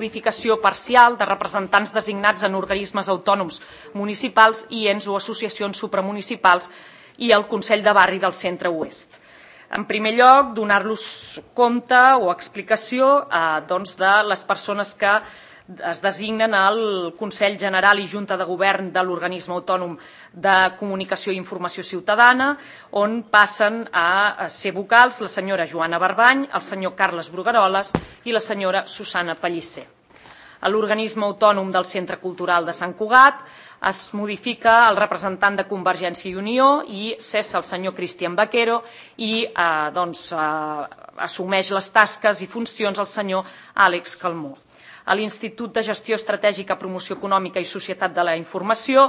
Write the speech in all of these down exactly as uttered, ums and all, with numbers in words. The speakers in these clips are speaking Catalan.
modificació parcial de representants designats en organismes autònoms municipals i ens o associacions supramunicipals i el Consell de Barri del Centre Oest. En primer lloc, donar-los compte o explicació eh, doncs, de les persones que es designen al Consell General i Junta de Govern de l'Organisme Autònom de Comunicació i Informació Ciutadana, on passen a ser vocals la senyora Joana Barbany, el senyor Carles Brugueroles i la senyora Susana Pellicer. A l'Organisme Autònom del Centre Cultural de Sant Cugat es modifica el representant de Convergència i Unió i cessa el senyor Cristian Baquero i eh, doncs, eh, assumeix les tasques i funcions el senyor Àlex Calmó. A l'Institut de Gestió Estratègica, Promoció Econòmica i Societat de la Informació,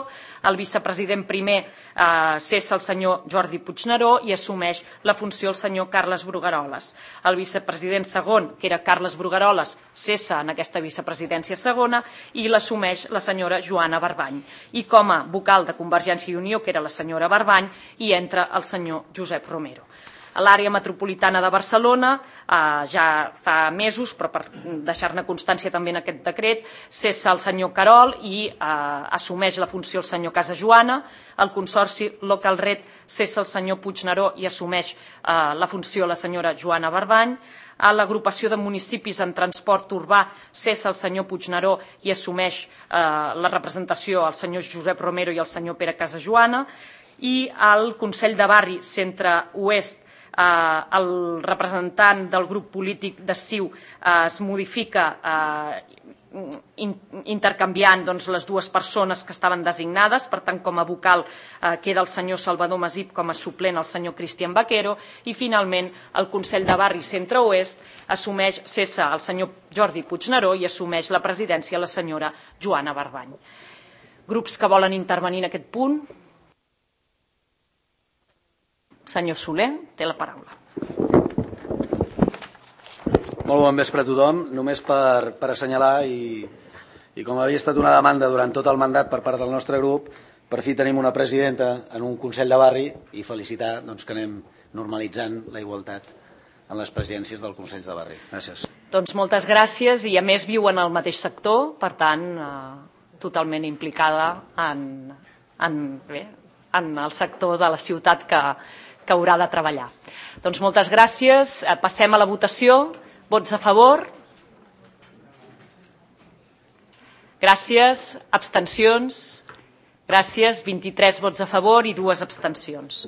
el vicepresident primer eh, cessa el senyor Jordi Puigneró i assumeix la funció el senyor Carles Brugueroles. El vicepresident segon, que era Carles Brugueroles, cessa en aquesta vicepresidència segona i l'assumeix la senyora Joana Barbany. I com a vocal de Convergència i Unió, que era la senyora Barbany, hi entra el senyor Josep Romero. A l'àrea metropolitana de Barcelona, eh, ja fa mesos, però per deixar-ne constància també en aquest decret, cessa el senyor Carol i eh, assumeix la funció el senyor Casajoana. El Consorci Local Red cessa el senyor Puigneró i assumeix eh, la funció la senyora Joana Barbany. A l'agrupació de municipis en transport urbà cessa el senyor Puigneró i assumeix eh, la representació el senyor Josep Romero i el senyor Pere Casajoana. I al Consell de Barri Centre-Oest, Eh, el representant del grup polític de C I U eh, es modifica eh, in, intercanviant doncs, les dues persones que estaven designades, per tant com a vocal eh, queda el senyor Salvador Masip, com a suplent el senyor Cristian Baquero i finalment el Consell de Barri Centre-Oest assumeix, cessa el senyor Jordi Puigneró i assumeix la presidència la senyora Joana Barbany. Grups que volen intervenir en aquest punt? Senyor Soler, té la paraula. Molt bon vespre a tothom. Només per, per assenyalar, i, i com havia estat una demanda durant tot el mandat per part del nostre grup, per fi tenim una presidenta en un Consell de Barri i felicitar doncs, que anem normalitzant la igualtat en les presidències del Consell de Barri. Gràcies. Doncs moltes gràcies i a més viu en el mateix sector, per tant, eh, totalment implicada en, en, bé, en el sector de la ciutat que que haurà de treballar. Doncs moltes gràcies. Passem a la votació. Vots a favor? Gràcies. Abstencions? Gràcies. vint-i-tres vots a favor i dues abstencions.